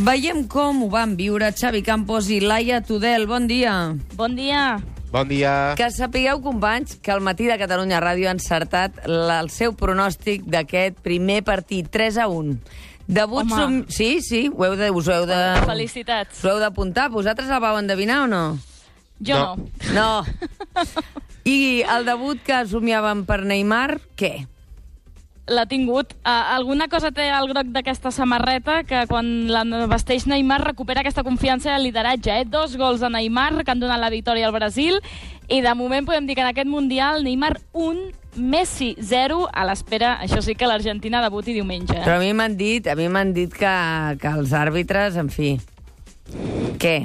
Veiem com ho van viure Xavi Campos i Laia Tudel. Bon dia. Bon dia. Bon dia. Que sapigueu, companys, que al Matí de Catalunya Ràdio ha encertat el seu pronòstic d'aquest primer partit, 3-1. Debut... Sí, us ho heu de... Felicitats. Us ho heu d'apuntar. Vosaltres el vau endevinar o no? Jo no. No. I el debut que somiàvem per Neymar, què? L'ha tingut. Alguna cosa té el groc d'aquesta samarreta, que quan la vesteix Neymar recupera aquesta confiança i el lideratge. 2 gols de Neymar que han donat la victòria al Brasil, i de moment podem dir que en aquest Mundial Neymar 1, Messi 0, a l'espera, això sí, que l'Argentina debuti diumenge. Però a mi m'han dit que els àrbitres, en fi... Què?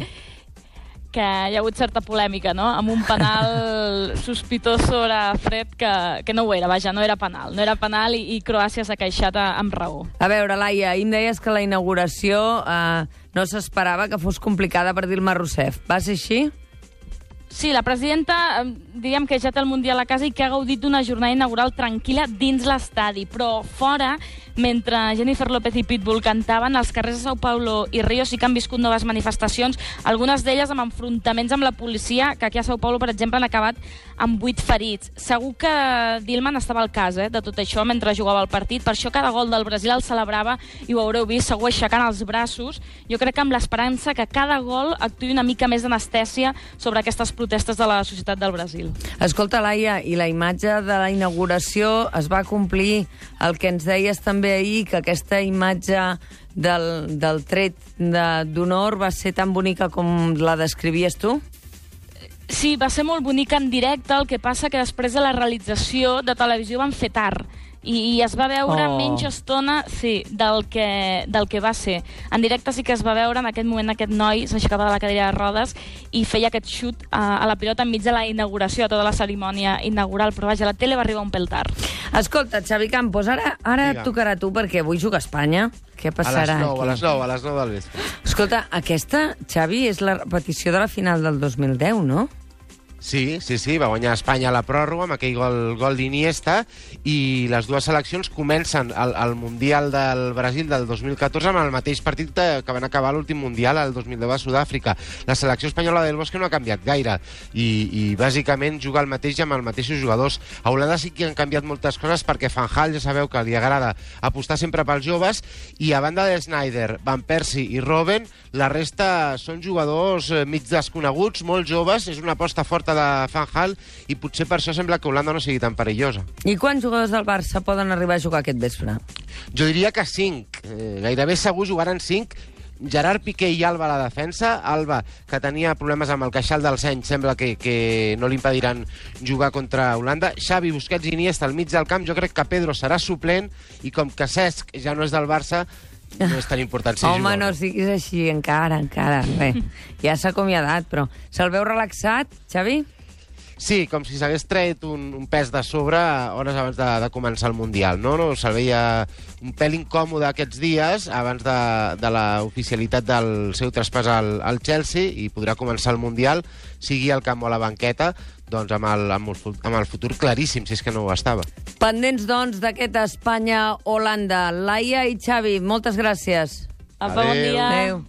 Que hi ha hagut certa polèmica, no?, amb un penal sospitós sobre Fred, que no ho era, vaja, no era penal. No era penal i Croàcia s'ha queixat amb raó. A veure, Laia, ahir em deies que la inauguració no s'esperava que fos complicada per Dilma Rousseff. Va ser així? Sí, la presidenta, diríem que ja té el Mundial a casa i que ha gaudit d'una jornada inaugural tranquil·la dins l'estadi, però fora, mentre Jennifer López i Pitbull cantaven, als carrers de São Paulo i Rio sí que han viscut noves manifestacions, algunes d'elles amb enfrontaments amb la policia, que aquí a São Paulo, per exemple, han acabat amb 8 ferits. Segur que Dilma n'estava al cas, de tot això, mentre jugava el partit, per això cada gol del Brasil el celebrava, i ho haureu vist, segur aixecant els braços, jo crec que amb l'esperança que cada gol actuï una mica més d'anestèsia sobre aquestes protestes de la societat del Brasil. Escolta, Laia, i la imatge de la inauguració es va complir. El que ens deies també ahir, que aquesta imatge del tret d'honor va ser tan bonica com la descrivies tu? Sí, va ser molt bonica en directe, el que passa que després de la realització de televisió van fer tard. I es va veure menys estona, sí, del que va ser. En directe sí que es va veure, en aquest moment aquest noi s'aixecava de la cadira de rodes i feia aquest xut a la pilota enmig de la inauguració, de tota la cerimònia inaugural, però vaja, la tele va arribar un pèl tard. Escolta, Xavi Campos, ara et tocarà a tu, perquè avui juga Espanya. Què passarà aquí? A les 9 del vespre. Escolta, aquesta, Xavi, és la repetició de la final del 2010, no? Sí, va guanyar Espanya a la pròrroga amb aquell gol d'Iniesta, i les dues seleccions comencen el Mundial del Brasil del 2014 amb el mateix partit que van acabar l'últim Mundial el 2010 a Sud-àfrica. La selecció espanyola del Bosque no ha canviat gaire i bàsicament juga el mateix amb els mateixos jugadors. A Holanda sí que han canviat moltes coses, perquè Van Gaal ja sabeu que li agrada apostar sempre pels joves, i a banda de Sneijder, Van Persie i Robben, la resta són jugadors mig desconeguts, molt joves. És una aposta forta de Van Gaal i potser per això sembla que Holanda no sigui tan perillosa. I quants jugadors del Barça poden arribar a jugar aquest vespre? Jo diria que 5. Gairebé segur jugaran 5. Gerard Piqué i Alba a la defensa. Alba, que tenia problemes amb el queixal del seny, sembla que no li impediran jugar contra Holanda. Xavi, Busquets i Iniesta al mig del camp. Jo crec que Pedro serà suplent, i com que Cesc ja no és del Barça, no és tan important si Home, no siguis així, encara. Bé, ja s'ha acomiadat, però se'l veu relaxat, Xavi? Sí, com si s'hagués tret un pes de sobre hores abans de començar el Mundial, no? Se'l veia un pèl incòmode aquests dies abans de l'oficialitat del seu traspàs al Chelsea, i podrà començar el Mundial, sigui al camp o a la banqueta, doncs amb el futur claríssim, si és que no ho estava. Pendents, doncs, d'aquest Espanya-Holanda. Laia i Xavi, moltes gràcies. Apa, bon dia. Adéu.